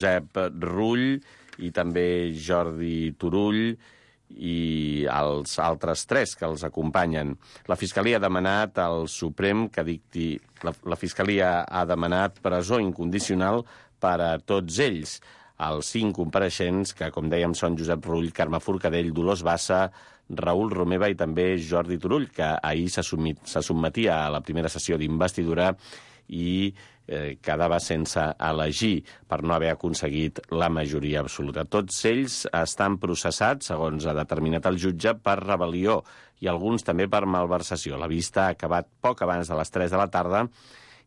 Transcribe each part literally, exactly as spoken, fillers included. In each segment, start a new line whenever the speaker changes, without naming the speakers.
Josep Rull i també Jordi Turull i els altres tres que els acompanyen. La Fiscalia ha demanat al Suprem que dicti... La, la Fiscalia ha demanat presó incondicional per a tots ells. Els cinc compareixents, que com dèiem són Josep Rull, Carme Forcadell, Dolors Bassa, Raül Romeva i també Jordi Turull, que ahir se sotmetia a la primera sessió d'investidura i eh, quedava sense elegir per no haver aconseguit la majoria absoluta. Tots ells estan processats, segons ha determinat el jutge, per rebel·lió i alguns també per malversació. La vista ha acabat poc abans de les tres de la tarda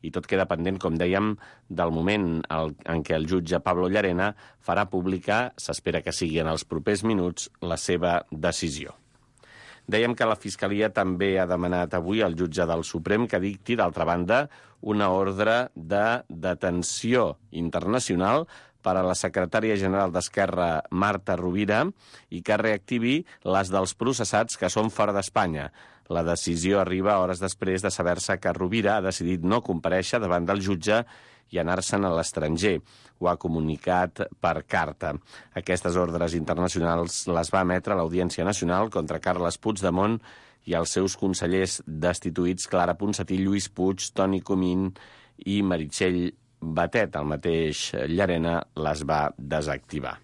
i tot queda pendent, com dèiem, del moment en què el jutge Pablo Llarena farà pública, s'espera que sigui en els propers minuts, la seva decisió. Dèiem que la Fiscalia també ha demanat avui al jutge del Suprem que dicti, d'altra banda, una ordre de detenció internacional per a la secretària general d'Esquerra, Marta Rovira, i que reactivi les dels processats que són fora d'Espanya. La decisió arriba hores després de saber-se que Rovira ha decidit no comparèixer davant del jutge i anar-se'n a l'estranger. Ho ha comunicat per carta. Aquestes ordres internacionals les va emetre l'Audiència Nacional contra Carles Puigdemont i els seus consellers destituïts Clara Ponsatí, Lluís Puig, Toni Comín i Meritxell Batet. El mateix Llarena les va desactivar.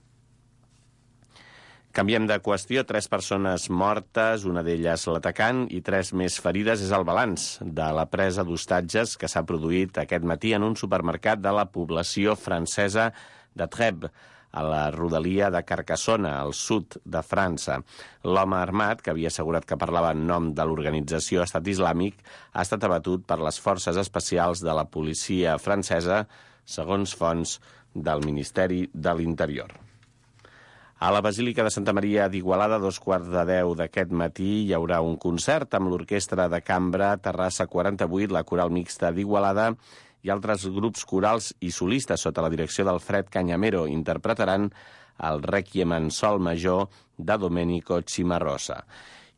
Canviem de qüestió. Tres persones mortes, una d'elles l'atacant, i tres més ferides és el balanç de la presa d'hostatges que s'ha produït aquest matí en un supermercat de la població francesa de Trèbes, a la rodalia de Carcassona, al sud de França. L'home armat, que havia assegurat que parlava en nom de l'organització Estat Islàmic, ha estat abatut per les forces especials de la policia francesa, segons fonts del Ministeri de l'Interior. A la Basílica de Santa Maria d'Igualada, a dos quarts de deu d'aquest matí, hi haurà un concert amb l'Orquestra de Cambra Terrassa quaranta-vuit, la Coral Mixta d'Igualada i altres grups corals i solistes sota la direcció d'Alfred Cañamero. Interpretaran el Rèquiem en sol major de Domenico Cimarosa.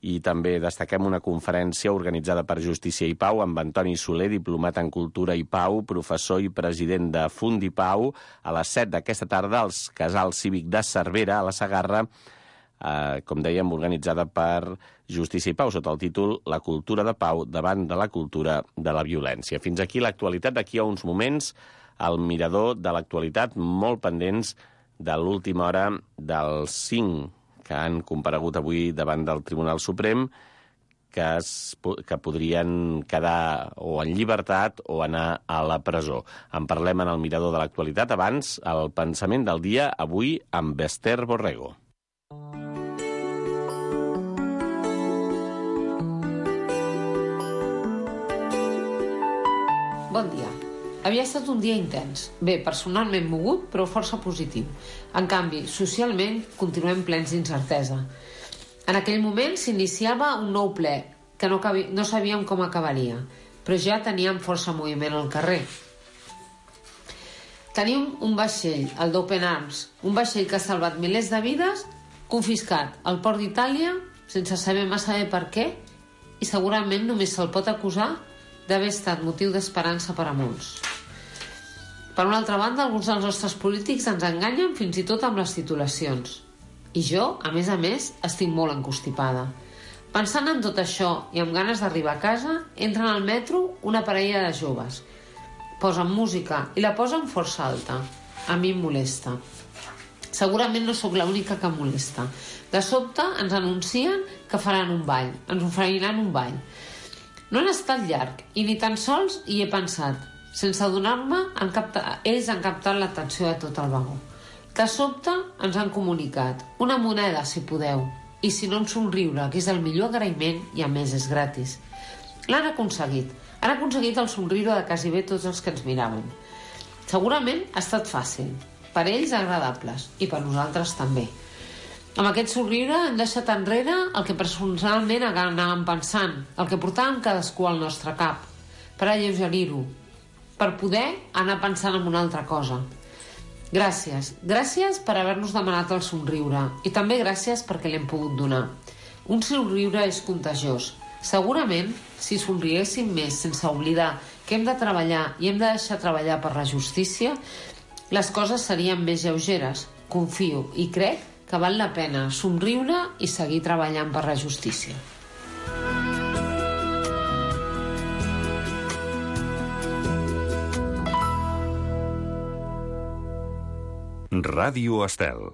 I també destaquem una conferència organitzada per Justícia i Pau amb Antoni Soler, diplomat en Cultura i Pau, professor i president de Fundipau, a les set d'aquesta tarda als Casal Cívic de Cervera, a la Segarra, eh, com dèiem, organitzada per Justícia i Pau, sota el títol La cultura de Pau davant de la cultura de la violència. Fins aquí l'actualitat. D'aquí a uns moments, el mirador de l'actualitat, molt pendents de l'última hora dels cinc que han comparegut avui davant del Tribunal Suprem, que, es, que podrien quedar o en llibertat o anar a la presó. En parlem en el mirador de l'actualitat. Abans, el pensament del dia, avui amb Esther Borrego.
Bon dia. Havia estat un dia intens. Bé, personalment mogut, però força positiu. En canvi, socialment, continuem plens d'incertesa. En aquell moment s'iniciava un nou ple, que no, cabi... no sabíem com acabaria, però ja teníem força moviment al carrer. Tenim un vaixell, el d'Open Arms, un vaixell que ha salvat milers de vides, confiscat al port d'Itàlia, sense saber massa bé per què, i segurament només se'l pot acusar d'haver estat motiu d'esperança per a molts. Per una altra banda, alguns dels nostres polítics ens enganyen fins i tot amb les titulacions. I jo, a més a més, estic molt encostipada. Pensant en tot això i amb ganes d'arribar a casa, entren al metro una parella de joves. Posen música i la posen força alta. A mi em molesta. Segurament no sóc l'única que em molesta. De sobte ens anuncien que faran un ball, ens oferiran un ball. No han estat llarg i ni tan sols hi he pensat. Sense adonar-me, han captat, ells han captat l'atenció de tot el vagó. De sobte ens han comunicat una moneda, si podeu, i si no, un somriure, que és el millor agraïment i a més és gratis. L'han aconseguit. Han aconseguit el somriure de quasi bé tots els que ens miraven. Segurament ha estat fàcil, per ells agradables i per nosaltres també. Amb aquest somriure hem deixat enrere el que personalment anàvem pensant, el que portàvem cadascú al nostre cap, per alleugerir-ho, per poder anar pensant en una altra cosa. Gràcies, gràcies per haver-nos demanat el somriure i també gràcies perquè l'hem pogut donar. Un somriure és contagiós. Segurament, si somriéssim més sense oblidar que hem de treballar i hem de deixar treballar per la justícia, les coses serien més lleugeres. Confio i crec que val la pena somriure i seguir treballant per la justícia.
Ràdio Estel.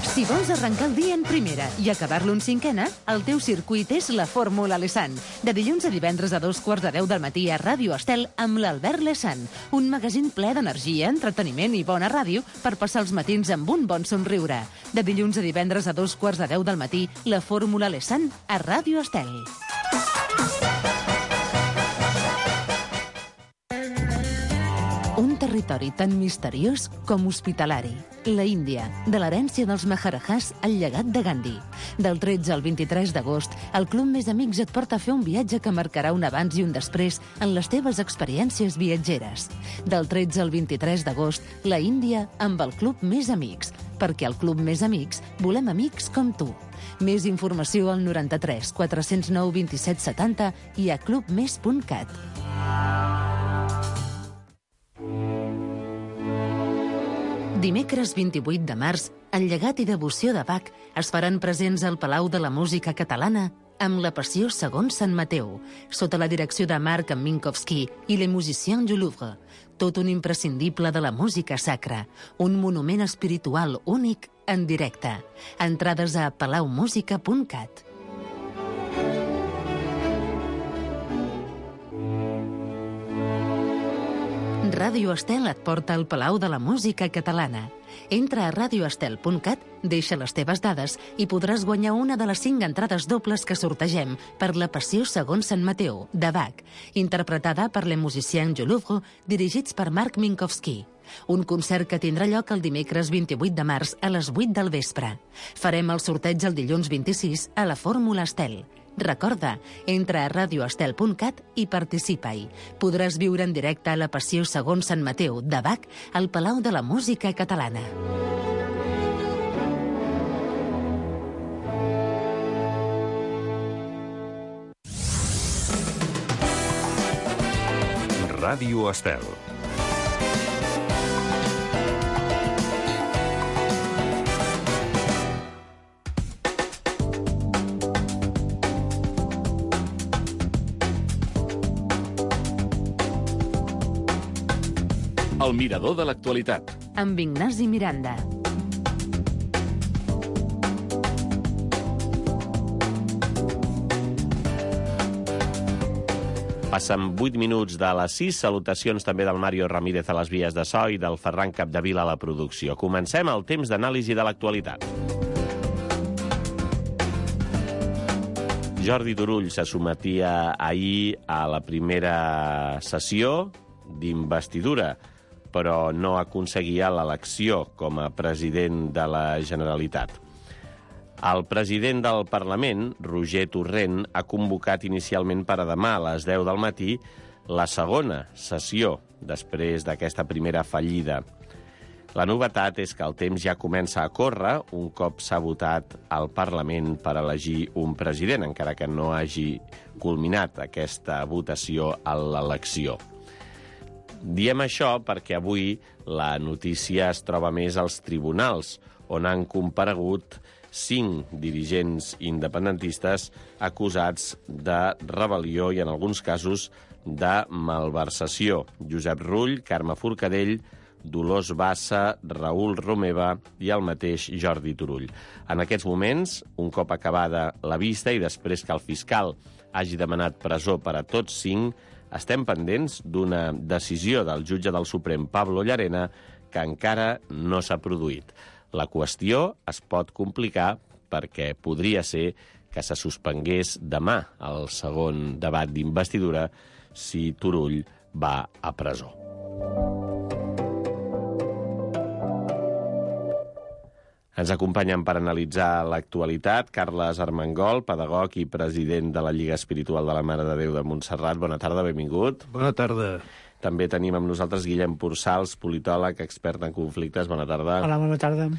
Si vols arrencar el dia en primera i acabar-lo en cinquena, el teu circuit és la Fórmula Lesan. De dilluns a divendres a dos quarts de deu del matí a Ràdio Estel amb l'Albert Lesan. Un magazín ple d'energia, entreteniment i bona ràdio per passar els matins amb un bon somriure. De dilluns a divendres a dos quarts de deu del matí, la Fórmula Lesan a Ràdio Estel. Un territori tan misteriós com hospitalari. La Índia, de l'herència dels Maharajahs al llegat de Gandhi. Del tretze al vint-i-tres d'agost, el Club Més Amics et porta a fer un viatge que marcarà un abans i un després en les teves experiències viatgeres. Del tretze al vint-i-tres d'agost, la Índia amb el Club Més Amics. Perquè al Club Més Amics volem amics com tu. Més informació al noranta-tres quatre-cents nou vint-i-set setanta i a club més punt cat. Dimecres vint-i-vuit de març, el llegat i devoció de Bach es faran presents al Palau de la Música Catalana amb la Passió segons Sant Mateu, sota la direcció de Marc Minkowski i Les Musiciens du Louvre. Tot un imprescindible de la música sacra, un monument espiritual únic en directe. Entrades a palau música punt cat. Ràdio Estel et porta al Palau de la Música Catalana. Entra a ràdio estel punt cat, deixa les teves dades i podràs guanyar una de les cinc entrades dobles que sortegem per la Passió segons Sant Mateu, de Bach, interpretada per Les Musiciens du Louvre, dirigits per Marc Minkowski. Un concert que tindrà lloc el dimecres vint-i-vuit de març a les vuit del vespre. Farem el sorteig el dilluns vint-i-sis a la Fórmula Estel. Recorda, entra a ràdio estel punt cat i participa-hi. Podràs viure en directe la Passió segons Sant Mateu, de Bach, al Palau de la Música Catalana.
Ràdio Estel.
El mirador de l'actualitat.
Amb Ignasi Miranda.
Passen vuit minuts de les sis. Salutacions també del Mario Ramírez a les vies de so i del Ferran Capdevila a la producció. Comencem el temps d'anàlisi de l'actualitat. Jordi Turull se sometia ahir a la primera sessió d'investidura, però no aconseguia l'elecció com a president de la Generalitat. El president del Parlament, Roger Torrent, ha convocat inicialment per a demà a les deu del matí la segona sessió, després d'aquesta primera fallida. La novetat és que el temps ja comença a córrer un cop s'ha votat al Parlament per elegir un president, encara que no hagi culminat aquesta votació a l'elecció. Diem això perquè avui la notícia es troba més als tribunals, on han comparegut cinc dirigents independentistes acusats de rebel·lió i, en alguns casos, de malversació. Josep Rull, Carme Forcadell, Dolors Bassa, Raül Romeva i el mateix Jordi Turull. En aquests moments, un cop acabada la vista i després que el fiscal hagi demanat presó per a tots cinc, estem pendents d'una decisió del jutge del Suprem, Pablo Llarena, que encara no s'ha produït. La qüestió es pot complicar perquè podria ser que se suspengués demà el segon debat d'investidura si Turull va a presó. Ens acompanyen per analitzar l'actualitat Carles Armengol, pedagog i president de la Lliga Espiritual de la Mare de Déu de Montserrat. Bona tarda, benvingut.
Bona tarda.
També tenim amb nosaltres Guillem Pursals, politòleg, expert en conflictes. Bona tarda.
Hola, bona tarda.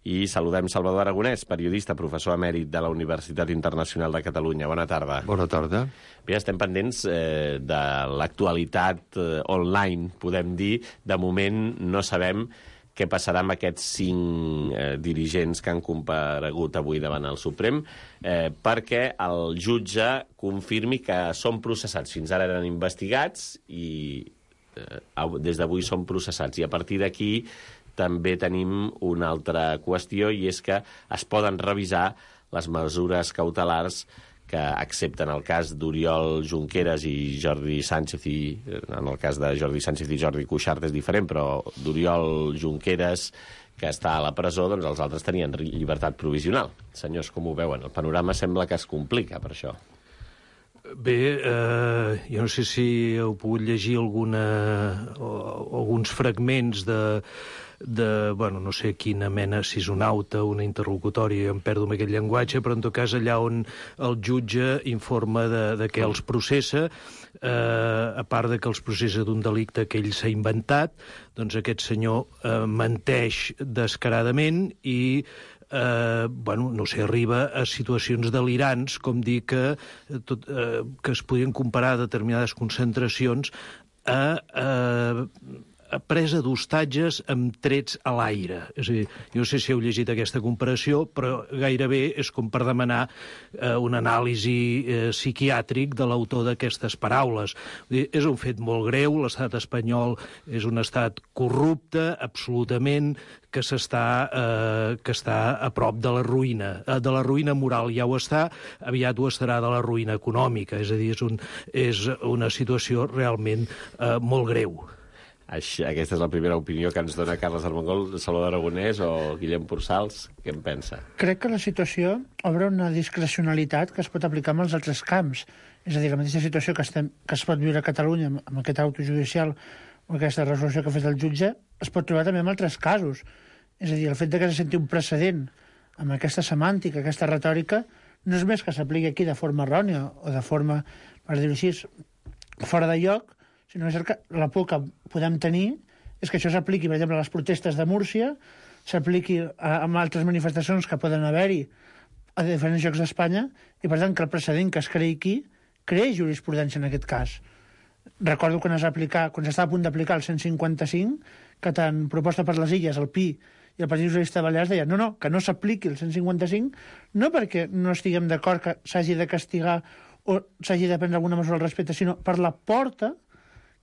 I saludem Salvador Aragonès, periodista, professor emèrit de la Universitat Internacional de Catalunya. Bona tarda.
Bona tarda.
Bé, estem pendents eh, de l'actualitat eh, online, podem dir. De moment no sabem què passarà amb aquests cinc eh, dirigents que han comparegut avui davant el Suprem, eh, perquè el jutge confirmi que són processats. Fins ara eren investigats i eh, des d'avui són processats. I a partir d'aquí també tenim una altra qüestió, i és que es poden revisar les mesures cautelars que accepten el cas d'Oriol Junqueras i Jordi Sánchez, i en el cas de Jordi Sánchez i Jordi Cuixart és diferent, però d'Oriol Junqueras, que està a la presó, doncs els altres tenien llibertat provisional. Senyors, com ho veuen? El panorama sembla que es complica per això.
Bé, eh, jo no sé si heu pogut llegir alguna, o, alguns fragments de, de, bueno, no sé quina mena, si és una auta, una interlocutòria, em perdo amb aquest llenguatge, però en tot cas allà on el jutge informa de, de què els processa, eh, a part de que els processa d'un delicte que ell s'ha inventat, doncs aquest senyor eh, menteix descaradament i Eh, bueno, no sé, arriba a situacions delirants, com dir que, tot, eh, que es podien comparar determinades concentracions a, a, a presa d'hostatges amb trets a l'aire. És a dir, jo no sé si heu llegit aquesta comparació, però gairebé és com per demanar eh, un anàlisi eh, psiquiàtric de l'autor d'aquestes paraules. Vull dir, és un fet molt greu, l'estat espanyol és un estat corrupte, absolutament, que s'està eh, que està a prop de la ruïna. Eh, de la ruïna moral ja ho està, aviat ho estarà de la ruïna econòmica. És a dir, és, un, és una situació realment eh, molt greu.
Així, aquesta és la primera opinió que ens dona Carles Armengol, Salvador Aragonès o Guillem Pursals. Què en pensa?
Crec que la situació obre una discrecionalitat que es pot aplicar en els altres camps. És a dir, la mateixa situació que, estem, que es pot viure a Catalunya amb aquest auto judicial o aquesta resolució que ha fet el jutge, es pot trobar també en altres casos. És a dir, el fet de que se senti un precedent amb aquesta semàntica, aquesta retòrica, no és més que s'apliqui aquí de forma errònia o de forma, per dir-ho així, fora de lloc, sinó que la por que podem tenir és que això s'apliqui, per exemple, a les protestes de Múrcia, s'apliqui a, a altres manifestacions que poden haver-hi a diferents llocs d'Espanya, i per tant que el precedent que es creï aquí creï jurisprudència en aquest cas. Recordo quan es va aplicar, quan s'estava a punt d'aplicar el cent cinquanta-cinc, que tant proposta per les Illes, el Pi i el Partit Socialista de Balears deien no, no, que no s'apliqui el cent cinquanta-cinc, no perquè no estiguem d'acord que s'hagi de castigar o s'hagi de prendre alguna mesura al respecte, sinó per la porta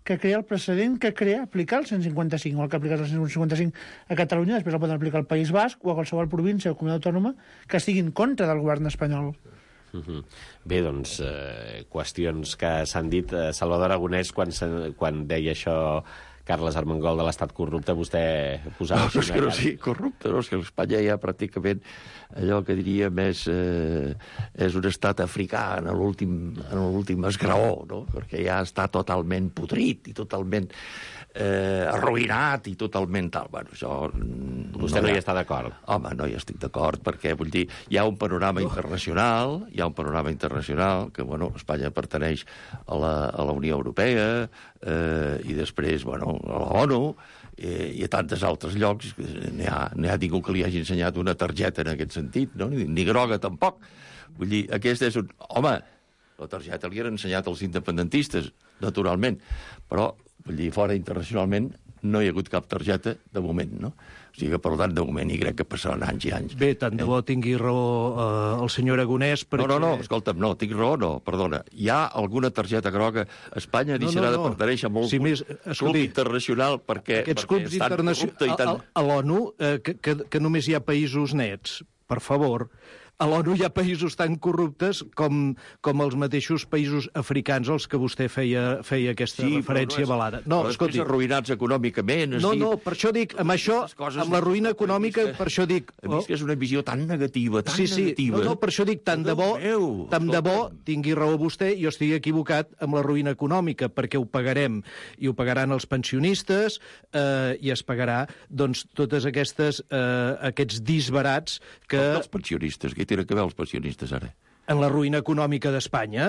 que crea el precedent que crea aplicar el cent cinquanta-cinc, o el que ha aplicat el cent cinquanta-cinc a Catalunya, després el poden aplicar al País Basc o a qualsevol província o comunitat autònoma que estigui en contra del govern espanyol.
Uh-huh. Bé, doncs, eh, qüestions que s'han dit. Eh, Salvador Aragonès, quan, quan deia això Carles Armengol de l'estat corrupte, vostè posava...
No, és que no sigui corrupte, no? És que Espanya ja pràcticament allò que diria més eh, és un estat africà en l'últim esgraó, no? Perquè ja està totalment podrit i totalment eh, arruïnat i totalment tal. Bueno, això...
Vostè no, no hi està d'acord?
Home, no hi estic d'acord, perquè, vull dir, hi ha un panorama internacional, hi ha un panorama internacional que, bueno, Espanya perteneix a la, a la Unió Europea eh, i després, bueno, a la ONU, eh, i a tantes altres llocs. N'hi ha, n'hi ha ningú que li hagi ensenyat una targeta en aquest sentit, no? Ni, ni groga tampoc. Vull dir, aquest és un... Home, la targeta li han ensenyat als independentistes, naturalment, però, vull dir, fora internacionalment no hi ha hagut cap targeta de moment, no? O sigui que, per tant, de moment, i crec que passaran anys i anys.
Bé, tant de bo tingui raó eh, el senyor Aragonès, perquè...
No, no, no, escolta'm, no, tinc raó, no, perdona. Hi ha alguna targeta groga? Espanya deixarà no, no, no. de pertenèixer a molt
sí, més,
club internacional perquè,
aquests
perquè
clubs internacionals...
Tan...
A, a, a l'ONU, eh, que, que, que només hi ha països nets, per favor... A l'ONU hi ha països tan corruptes com, com els mateixos països africans als que vostè feia, feia aquesta sí, referència no és, velada. No,
però escolti, arruïnats econòmicament...
No,
dit,
no, per això dic, amb això, amb la ruïna econòmica, que, per això dic...
A mi és que és una visió tan negativa, tan
sí, sí,
negativa...
No, no, per això dic, tant de bo, meu, tant de bo tingui raó vostè, jo estigui equivocat amb la ruïna econòmica, perquè ho pagarem, i ho pagaran els pensionistes, eh, i es pagarà, doncs, totes aquestes, eh, aquests disbarats que...
Els pensionistes, que tenen que veure els pensionistes, ara?
En la ruïna econòmica d'Espanya?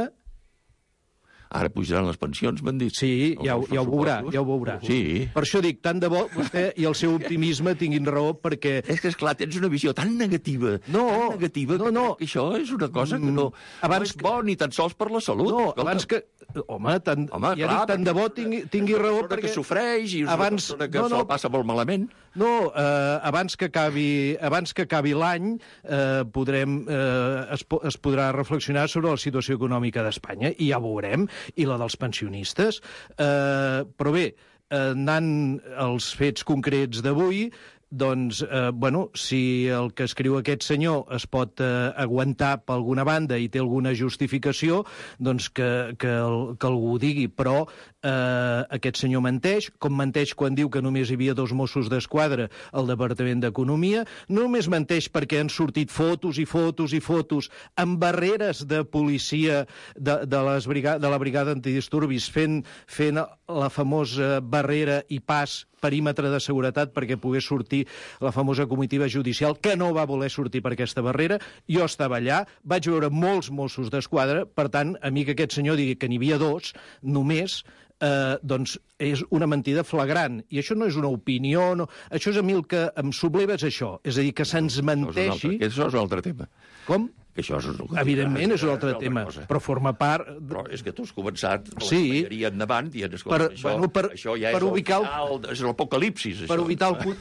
Ara pujaran les pensions, m'han dit.
Sí, ja, ja ho veurà, ja ho veurà.
Sí.
Per això dic, tant de bo vostè i el seu optimisme tinguin raó, perquè...
És que, esclar, tens una visió tan negativa,
no,
tan negativa,
no, no.
que això és una cosa que no, abans no és bo ni tan sols per la salut.
No,
escolta.
abans que... Home, tant,
Home,
ja
clar,
dic, tant de bo tingui, tingui raó, perquè...
que sofreix i és
abans...
una persona que
no, no,
se'l passa molt malament.
No, eh, abans que acabi, abans que acabi l'any eh, podrem, eh, es, es podrà reflexionar sobre la situació econòmica d'Espanya, i ja ho veurem, i la dels pensionistes. Eh, però bé, eh, anant als fets concrets d'avui, doncs, eh, bueno, si el que escriu aquest senyor es pot eh, aguantar per alguna banda i té alguna justificació, doncs que, que, el, que algú ho digui. Però eh, aquest senyor menteix, com menteix quan diu que només hi havia dos Mossos d'Esquadra al Departament d'Economia, no només menteix perquè han sortit fotos i fotos i fotos amb barreres de policia de, de, les brigades, de la brigada antidisturbis fent, fent la famosa barrera i pas perímetre de seguretat perquè pogués sortir la famosa comitiva judicial, que no va voler sortir per aquesta barrera. Jo estava allà, vaig veure molts Mossos d'Esquadra, per tant, a mi que aquest senyor digui que n'hi havia dos, només, eh, doncs és una mentida flagrant. I això no és una opinió, no... això és a mi el que em subleva és això, és a dir, que se'ns menteixi...
Això és un altre tema.
Com?
Que això és un...
Evidentment és un altre tema, però forma part...
Però és que tu has començat
sí.
l'espanyeria endavant i en escolta,
per,
això,
bueno, per,
això ja
per
és
ubicar el
final, és l'apocalipsis.
Per ubicar el...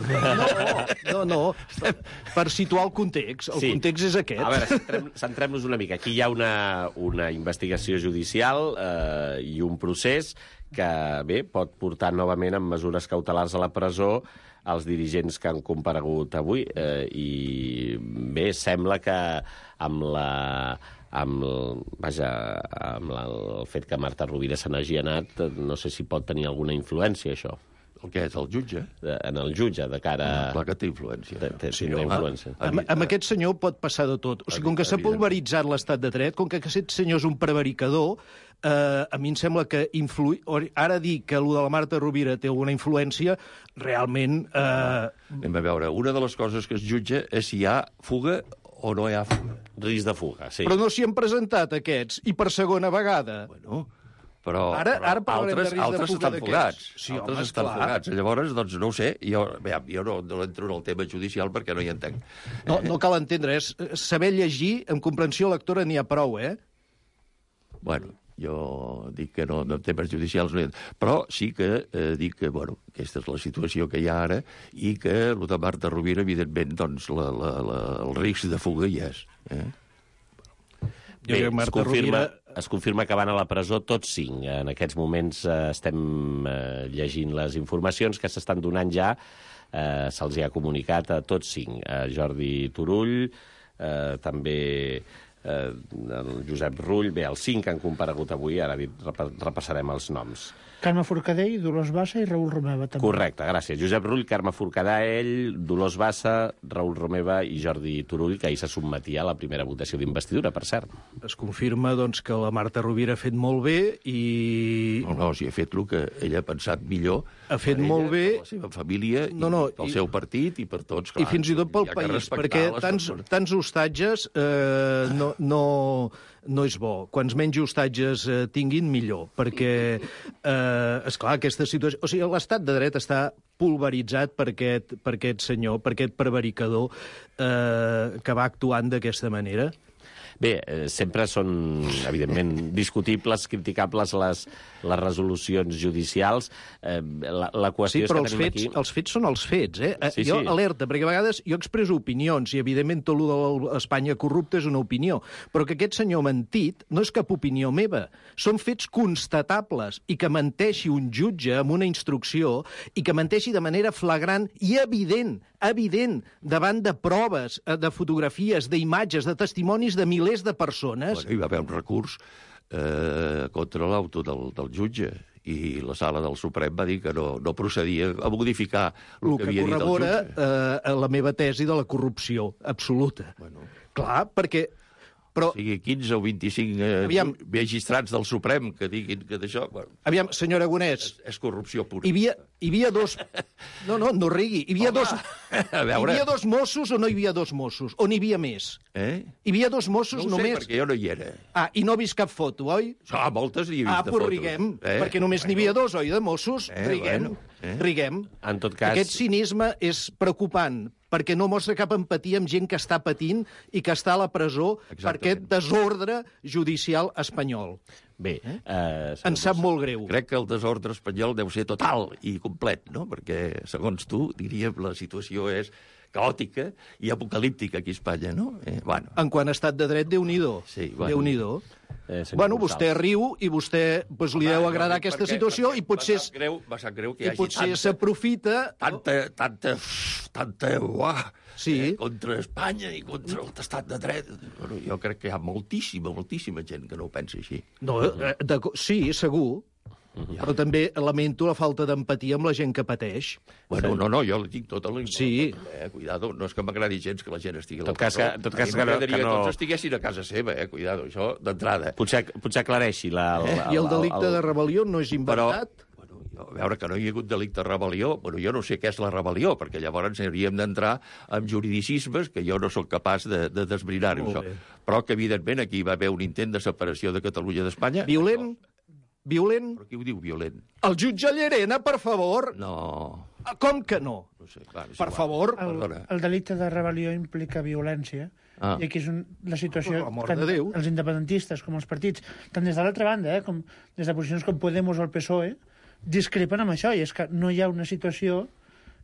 No, no, no, per, per situar el context. El sí. context és aquest.
A veure, centrem-nos una mica. Aquí hi ha una, una investigació judicial eh, i un procés que, bé, pot portar novament amb mesures cautelars a la presó els dirigents que han comparegut avui. Eh, I, bé, sembla que amb la... amb, el, vaja, amb la, el fet que Marta Rovira se n'hagi anat, no sé si pot tenir alguna influència, això.
El que és, el jutge?
De, en el jutge, de cara...
No, clar que té influència.
Té, té, sí, no, influència.
Amb, amb aquest senyor pot passar de tot. O sigui, com que s'ha pulveritzat l'estat de dret, com que aquest senyor és un prevaricador, eh, a mi em sembla que influi... Ara dir que allò de la Marta Rovira té alguna influència, realment... Eh...
Anem a veure, una de les coses que es jutja és si hi ha fuga o no hi ha fuga.
Risc de fuga, sí.
Però no s'hi han presentat aquests, i per segona vegada.
Bueno, però,
ara, ara
però altres, altres estan fugats.
Sí,
altres
home,
estan
esclar.
fugats. Llavors, doncs, no ho sé, jo, bé, jo no, no entro en el tema judicial perquè no hi entenc.
No, no cal entendre, és saber llegir amb comprensió lectora n'hi ha prou, eh?
Bueno, jo dic que no, en temes judicials no hi entenc. Però sí que eh, dic que, bueno, aquesta és la situació que hi ha ara i que el de Marta Rovira, evidentment, doncs, la, la, la, el risc de fuga hi és. Eh?
Bé, es confirma, es confirma que van a la presó tots cinc. En aquests moments eh, estem eh, llegint les informacions que s'estan donant ja. Eh, se'ls ha comunicat a tots cinc. A Jordi Turull, eh, també eh, el Josep Rull. Bé, els cinc han comparegut avui. Ara repassarem els noms.
Carme Forcadell, Dolors Bassa i Raül Romeva, també.
Correcte, gràcies. Josep Rull, Carme Forcadell, Dolors Bassa, Raül Romeva i Jordi Turull, que ahir se sotmetia a la primera votació d'investidura, per cert.
Es confirma, doncs, que la Marta Rovira ha fet molt bé i...
No, no, si ha fet el que ella ha pensat millor.
Ha fet
ella,
molt bé...
Per la seva família,
no, no,
i pel
i...
seu partit i per tots, clar.
I fins i tot pel país, perquè tants, tants hostatges eh, no, no, no és bo. Quants menys hostatges eh, tinguin, millor, perquè... Eh, esclar, aquesta situació... O sigui, l'estat de dret està pulveritzat per aquest, per aquest senyor, per aquest prevaricador eh, que va actuant d'aquesta manera.
Bé, eh, sempre són, evidentment, discutibles, criticables les, les resolucions judicials. Eh, la, la qüestió
sí, però
és que
els
tenim
fets,
aquí...
els fets són els fets, eh?
Sí,
jo
sí.
alerta, perquè a vegades jo expresso opinions, i evidentment tot el d'Espanya corrupta és una opinió, però que aquest senyor mentit no és cap opinió meva, són fets constatables, i que menteixi un jutge amb una instrucció, i que menteixi de manera flagrant i evident, evident, davant de proves, de fotografies, d'imatges, de testimonis de milers de persones...
Bueno, hi va haver un recurs eh, contra l'auto del, del jutge, i la sala del Suprem va dir que no, no procedia a modificar el, el que, que havia dit el jutge.
Eh, la meva tesi de la corrupció absoluta.
Bueno.
Clar, perquè...
Però...
O sigui, quinze o vint-i-cinc eh,
Aviam.
magistrats del Suprem que diguin que d'això... Bueno,
Aviam, senyor Aragonès...
és, és corrupció pura.
Hi havia, hi havia dos... No, no, no rigui. Hi havia,
Home,
dos...
a veure.
Hi havia dos Mossos o no hi havia dos Mossos? O n'hi havia més?
Eh?
Hi havia dos Mossos
No ho sé,
només...
perquè jo no hi era.
Ah, i no ha vist cap foto, oi?
Ah, moltes n'hi he vist
Ah,
de
doncs
fotos.
riguem,
Eh?
perquè només n'hi havia dos, oi, de Mossos?
Eh,
Riguem,
bueno, eh.
riguem.
En tot cas...
Aquest cinisme és preocupant, perquè no mostra cap empatia amb gent que està patint i que està a la presó per
Exactament.
aquest desordre judicial espanyol.
Bé, eh,
Em sap molt greu.
Crec que el desordre espanyol deu ser total i complet, no? Perquè, segons tu, diríem, la situació és caòtica i apocalíptica aquí a Espanya, no? Eh, bueno,
En quant a estat de dret, Déu-n'hi-do.
Sí, bueno.
Déu-n'hi-do.
Eh, senyor
Bueno,
Gonçalves.
vostè riu i vostè pues, li deu
Home,
agradar
jo dic
aquesta
perquè-
situació
perquè
i potser,
Em sap greu, em sap greu que hi
i
hagi
potser
tanta,
s'aprofita...
tanta, tanta, tanta, uah,
Sí.
eh, contra Espanya i contra l'estat de dret. Bueno, jo crec que hi ha moltíssima, moltíssima gent que no ho pensa així.
No, eh, de, sí, segur,
Ja.
però també lamento la falta d'empatia amb la gent que pateix.
Bueno, no, no, jo li tinc tota la...
Sí.
Eh, cuidado, no és que m'agradi gens que la gent estigui a la
Tot cas
presó.
que- tot cas
A mi
que no-
m'agradaria
que no-
tots estiguessin a casa seva, eh, cuidado, això d'entrada.
Potser, potser aclareixi la...
Eh?
la
I el delicte de rebel·lió no és
Però,
inventat?
bueno, jo, a veure, que no hi ha hagut delicte de rebel·lió, bueno, jo no sé què és la rebel·lió, perquè llavors hauríem d'entrar en juridicismes que jo no sóc capaç de, de desbrinar-ho,
Molt
això.
bé.
Però que, evidentment, aquí va haver un intent de separació de Catalunya d'Espanya.
Violent? Violent?
Però qui ho diu violent?
El jutge Llerena, per favor!
No,
Com que no?
no sé, clar, és
Per
igual.
favor.
El,
Perdona.
el delicte de rebel·lió implica violència.
Ah.
I aquí és un, la situació...
Per l'amor
tant
de Déu.
els independentistes com els partits, tant des de l'altra banda, eh, com des de posicions com Podemos o el P S O E, discrepen amb això, i és que no hi ha una situació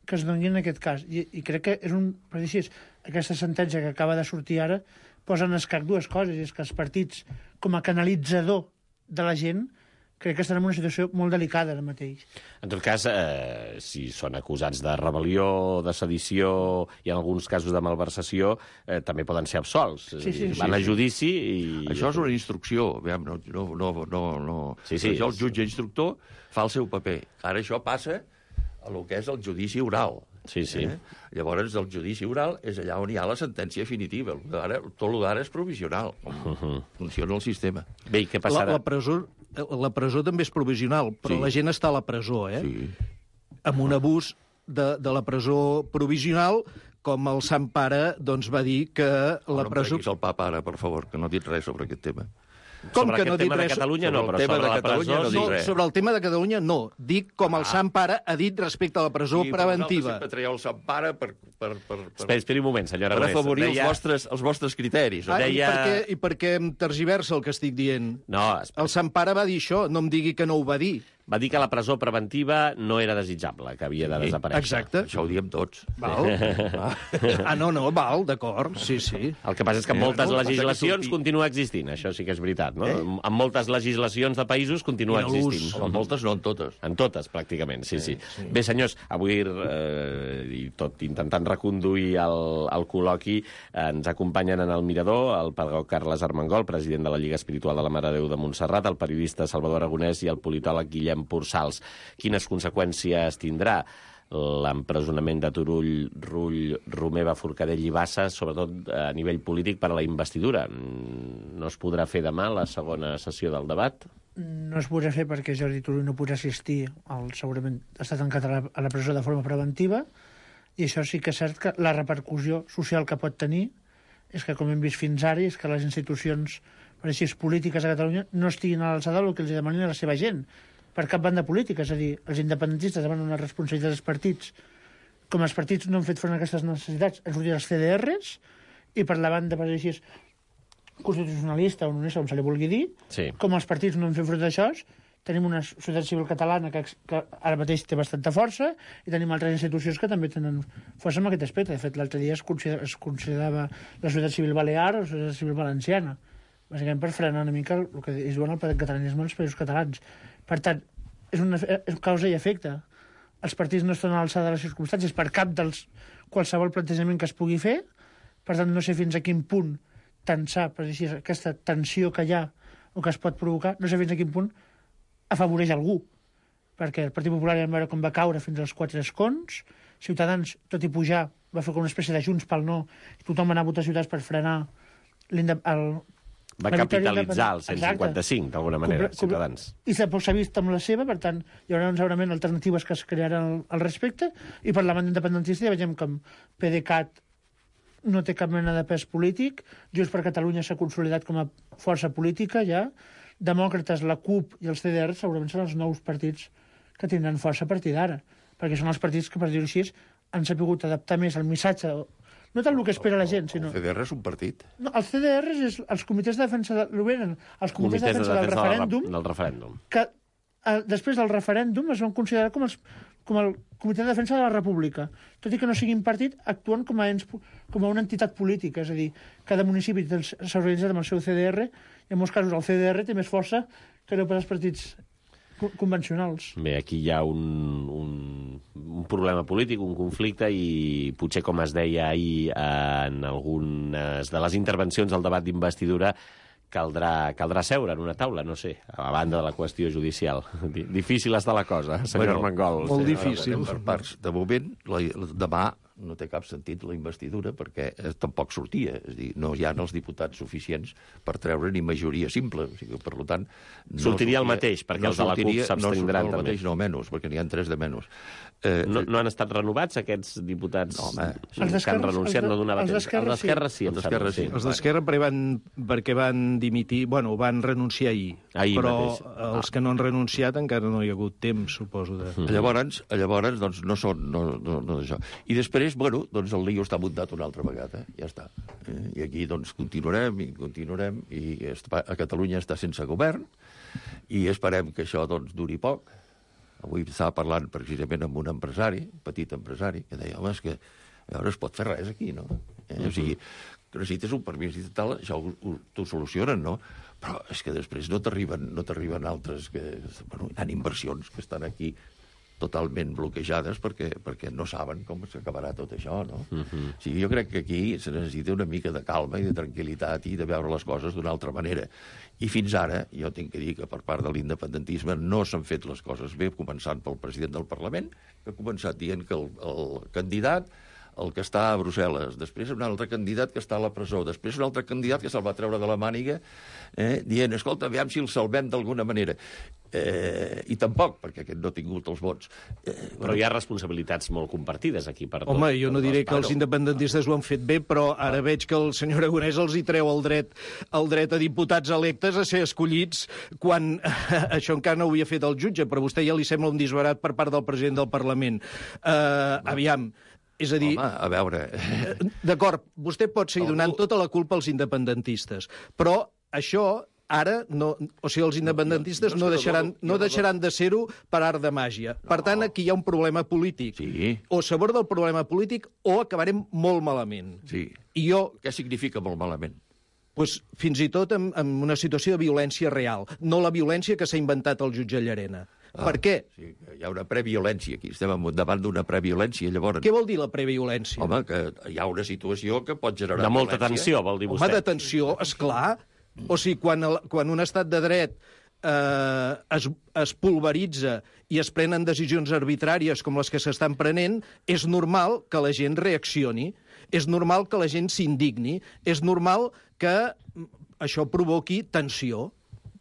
que es doni en aquest cas. I, i crec que és un... Per dir així, aquesta sentència que acaba de sortir ara posa en escac dues coses, i és que els partits, com a canalitzador de la gent, crec que estan en una situació molt delicada ara mateix.
En tot cas, eh, si són acusats de rebel·lió, de sedició i en alguns casos de malversació, eh, també poden ser absolts.
Sí, sí,
Van
sí,
a
sí.
judici i...
Això és una instrucció, aviam, no, no, no, no, no.
Sí, sí.
Això el jutge instructor fa el seu paper. Ara això passa a lo que és el judici oral.
Sí, sí.
Eh? Llavors, el judici oral és allà on hi ha la sentència definitiva. Ara, tot el d'ara és provisional. Uh-huh. Funciona el sistema.
Bé, i què
La,
passarà?
la, presó, la presó també és provisional, però
Sí.
la gent està a la presó, eh?
Sí.
Amb un abús de, de la presó provisional, com el Sant Pare doncs, va dir que la
no
presó...
em treguis el papa ara, per favor, que no ha dit res sobre aquest tema.
Com
sobre
que
aquest
no ha dit
tema de
res?
Catalunya no,
Sobre el
però
tema
sobre
de
la
Catalunya
presó
no
sí.
dic
No,
res.
sobre el tema de Catalunya no. Dic com el
Ah.
Sant Pare ha dit respecte a la presó
Sí, però
preventiva.
vosaltres sempre traieu el Sant Pare per, per, per, per,
Esperi, esperi un moment, senyora
per
Aragonès.
afavorir
Deia-
els, vostres, els vostres criteris.
Ah,
No?
i,
deia-
per què, I per què em tergiversa el que estic dient?
No, espera.
El Sant Pare va dir això, no em digui que no ho va dir.
Va dir que la presó preventiva no era desitjable, que havia de desaparèixer.
Exacte.
Això ho diem tots.
Val? Ah, no, no, val, d'acord, sí, sí.
El que passa és que en
Eh,
moltes
no,
legislacions
passa que surti-
continua existint, això sí que és veritat, no? Eh? En moltes legislacions de països continua
I en l'ús.
existint.
En moltes, no en totes.
En totes, pràcticament, sí, sí. sí. Bé, senyors, avui, eh, i tot intentant reconduir el, el col·loqui, eh, ens acompanyen en el Mirador el pedagog Carles Armengol, president de la Lliga Espiritual de la Mare de Déu de Montserrat, el periodista Salvador Aragonès i el politòleg Guillem Pursals. Quines conseqüències tindrà l'empresonament de Turull, Rull, Romeva, Forcadell i Bassa, sobretot a nivell polític per a la investidura? No es podrà fer demà la segona sessió del debat?
No es podrà fer perquè Jordi Turull no podrà assistir, al, segurament està tancat a la, a la presó de forma preventiva, i això sí que és cert que la repercussió social que pot tenir és que, com hem vist fins ara, és que les institucions, per així, polítiques a Catalunya no estiguin a l'alçada del que els demanin a la seva gent, per cap banda política. És a dir, els independentistes demanen una responsabilitat dels partits. Com els partits no han fet front a aquestes necessitats, han sortit els C D Rs, i per la banda, per així, constitucionalista o unionista, com se li vulgui dir,
Sí.
com els partits no han fet front a això, tenim una societat civil catalana que, que ara mateix té bastanta força i tenim altres institucions que també tenen força en aquest aspecte. De fet, l'altre dia es, consider, es considerava la societat civil balear o la societat civil valenciana, bàsicament per frenar una mica el que es diuen el catalanisme als països catalans. Per tant, és una és causa i efecte. Els partits no estan a l'alçada de les circumstàncies per cap dels qualsevol plantejament que es pugui fer, per tant, no sé fins a quin punt tensar, per dir així, aquesta tensió que hi ha o que es pot provocar, no sé fins a quin punt afavoreix algú, perquè el Partit Popular ja vam veure com va caure fins als quatre escons, Ciutadans, tot i pujar, va fer com una espècie de Junts pel no, i tothom va anar a votar Ciutadans per frenar el,
Va capitalitzar el cent cinquanta-cinc, d'alguna manera,
Compre-
Ciutadans.
I s'ha vist amb la seva, per tant, hi haurà segurament alternatives que es crearan al, al respecte, i per la banda independentista ja veiem com PDeCAT no té cap mena de pes polític, Junts per Catalunya s'ha consolidat com a força política ja, Demòcrates, la CUP i els C D R segurament són els nous partits que tindran força a partir d'ara, perquè són els partits que, per dir-ho així, han sabut adaptar més el missatge, no tant el que espera la gent, sinó...
El C D R és un partit.
No, els C D R és els comitès de defensa de... L'Oberen, els comitès,
Comitès
de defensa, del referèndum,
del referèndum.
que eh, després del referèndum es van considerar com, els, com el comitè de defensa de la República. Tot i que no siguin partit, actuen com a, ens, com a una entitat política, és a dir, cada municipi s'ha organitzat amb el seu C D R, i en molts casos el C D R té més força que no per als partits convencionals.
Bé, aquí hi ha un, un, un problema polític, un conflicte, i potser, com es deia ahir en algunes de les intervencions al debat d'investidura, caldrà, caldrà seure en una taula, no sé, a banda de la qüestió judicial. Difícil està la cosa, senyor
Bueno,
Armengol.
molt
Sí.
difícil.
Per parts. De moment, la, la, demà no té cap sentit la investidura perquè eh, tampoc sortia. És a dir, no hi ha els diputats suficients per treure ni majoria simple. O sigui, per tant, no
Sortiria el mateix, perquè els de la CUP
sortiria-
s'abstindran
no
també.
el mateix, no menys, perquè n'hi ha tres de menys. Eh,
No, no han estat renovats, aquests diputats
No, home.
Els
que han
d'Esquerra-
renunciat?
els de-
No donava
els
temps.
d'Esquerra
Els d'Esquerra sí, em
Els d'Esquerra
sembla,
sí.
Els d'Esquerra perquè van, perquè van dimitir, bueno, van renunciar ahir,
Ahir
però
mateix.
els que no han renunciat encara no hi ha hagut temps, suposo. De...
Llavors, llavors doncs, no són no, no, no d'això. I després, bueno, doncs el lío està muntat una altra vegada, ja està. Eh, I aquí doncs continuarem i continuarem i està, a Catalunya està sense govern i esperem que això doncs duri poc. Avui estava parlant precisament amb un empresari, un petit empresari, que deia, home, és que a veure, es pot fer res aquí, no? Eh? O sigui, que necessites un permís i tal, això ho, ho, t'ho solucionen, no? Però és que després no t'arriben no t'arriben altres que... Bueno, hi ha inversions que estan aquí totalment bloquejades perquè, perquè no saben com s'acabarà tot això, no? Uh -huh. O sigui, jo crec que aquí se necessita una mica de calma i de tranquil·litat i de veure les coses d'una altra manera. I fins ara, jo tinc que dir que per part de l'independentisme no s'han fet les coses bé, començant pel president del Parlament, que ha començat dient que el, el candidat el que està a Brussel·les, després un altre candidat que està a la presó, després un altre candidat que se'l va treure de la màniga eh, dient, escolta, aviam si el salvem d'alguna manera. Eh, I tampoc, perquè aquest no ha tingut els vots. Eh,
Però hi ha responsabilitats molt compartides aquí per tots.
Home, jo no diré que els
Bueno.
independentistes ho han fet bé, però ara veig que el senyor Aragonès els hi treu el dret, el dret a diputats electes a ser escollits quan això encara no ho havia fet el jutge, però a vostè ja li sembla un disbarat per part del president del Parlament. Uh, aviam, és a dir...
Home, a veure...
D'acord, vostè pot seguir
Algú-
donant tota la culpa als independentistes, però això ara, no, o sigui, els independentistes
no,
no,
jo- jo
deixaran,
no- jo
no
no-
deixaran de ser-ho per art de màgia. Per tant, aquí hi ha un problema polític.
Sí.
O s'aborda el problema polític o acabarem molt malament.
Sí.
I jo,
Què significa molt malament?
pues, fins i tot en, en una situació de violència real, no la violència que s'ha inventat el jutge Llarena.
Ah,
Per què?
Sí, hi ha una previolència aquí. Estem davant d'una previolència, llavors.
Què vol dir la previolència?
Home, que hi ha una situació que pot generar
De molta
violència.
tensió, vol dir
Home,
vostè.
de tensió, esclar. O sigui, quan, el, quan un estat de dret eh, es, es pulveritza i es prenen decisions arbitràries com les que s'estan prenent, és normal que la gent reaccioni, és normal que la gent s'indigni, és normal que això provoqui tensió.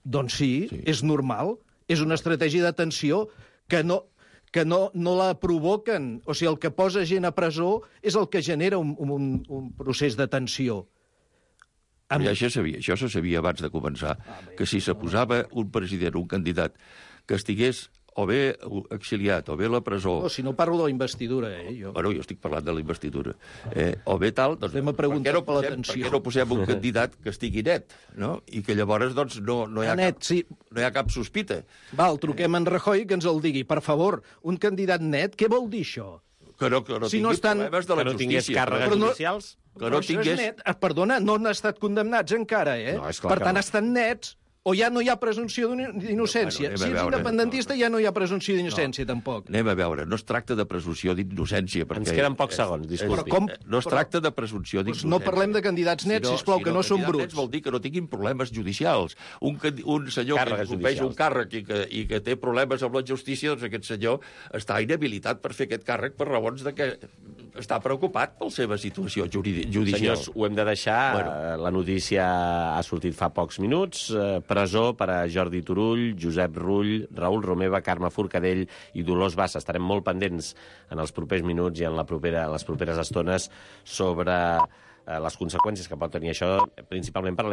Doncs sí, sí, és normal. És una estratègia de tensió que no, que no, no la provoquen. O sigui, el que posa gent a presó és el que genera un, un, un procés de tensió.
Amb... Ja, això, sabia, això se sabia abans de començar, ah, que si se posava un president, un candidat, que estigués o bé exiliat, o bé a la presó...
No, si no parlo de la investidura, eh, jo.
Bueno, jo estic parlant de la investidura. Eh, o bé tal, doncs...
Estem a preguntar
per què no
per la
posem,
tensió.
per què no posem un candidat que estigui net, no? I que llavors, doncs, no, no, hi, ha
Net,
cap,
sí.
no hi ha cap sospita.
Val, truquem en Rajoy que ens el digui. Per favor, un candidat net, què vol dir això?
Que no, que no
Si
tingui
no estan-
problemes de la
Que no tingués
justícia.
càrregues
Però no-
judicials?
Que no
Però això és
tingués...
net. Ah, perdona, no han estat condemnats encara, eh?
No, és clar
per
que
tant,
no.
estan nets. O ja no hi ha presumpció d'innocència.
Bueno, anem a
Si ets
veure.
independentista ja no hi ha presumpció d'innocència, tampoc.
Anem a veure, no es tracta de presumpció d'innocència. perquè-
Ens queden pocs segons, disculpi.
Però com-
No es
però-
tracta de presumpció
Doncs
d'innocència.
no parlem de candidats nets, sisplau, que no són
candidats
bruts.
Nets vol dir que no tinguin problemes judicials. Un, candi- un senyor
Càrregues
que ocupeix un
judicials.
càrrec i que, i que té problemes amb la justícia, doncs aquest senyor està inhabilitat per fer aquest càrrec per raons de que està preocupat per la seva situació judicial.
Senyors, ho hem de deixar.
Bueno.
La notícia ha sortit fa pocs minuts. Presó per a Jordi Turull, Josep Rull, Raül Romeva, Carme Forcadell i Dolors Bassa. Estarem molt pendents en els propers minuts i en la propera, les properes estones sobre les conseqüències que pot tenir això, principalment per a la